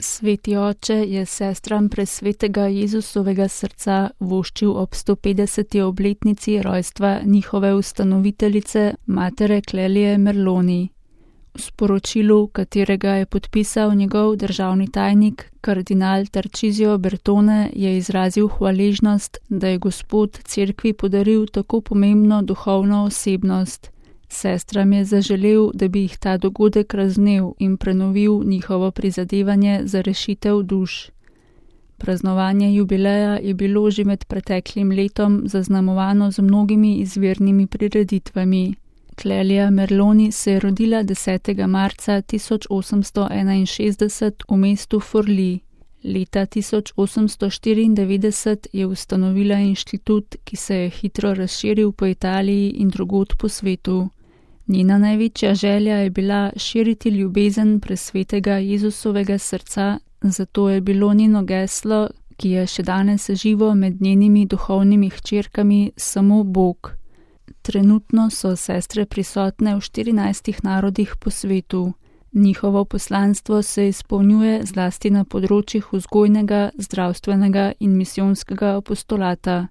Sveti oče je sestram presvetega Jezusovega srca voščil ob 150. obletnici rojstva njihove ustanoviteljice, matere Clelie Merloni. V sporočilu, katerega je podpisal njegov državni tajnik, kardinal Tarcisio Bertone, je izrazil hvaležnost, da je Gospod cerkvi podaril tako pomembno duhovno osebnost. Sestram je zaželel, da bi jih ta dogodek razvnel in prenovil njihovo prizadevanje za rešitev duš. Praznovanje jubileja je bilo že med preteklim letom zaznamovano z mnogimi izvirnimi prireditvami. Clelia Merloni se je rodila 10. marca 1861 v mestu Forlì. Leta 1894 je ustanovila inštitut, ki se je hitro razširil po Italiji in drugod po svetu. Njena največja želja je bila širiti ljubezen presvetega Jezusovega srca, zato je bilo njeno geslo, ki je še danes živo med njenimi duhovnimi hčerkami, samo Bog. Trenutno so sestre prisotne v 14 narodih po svetu. Njihovo poslanstvo se izpolnjuje zlasti na področjih vzgojnega, zdravstvenega in misijonskega apostolata.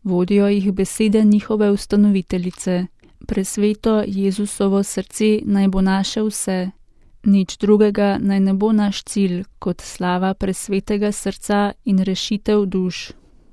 Vodijo jih besede njihove ustanoviteljice. Presveto Jezusovo srce naj bo naše vse. Nič drugega naj ne bo naš cilj kot slava presvetega srca in rešitev duš.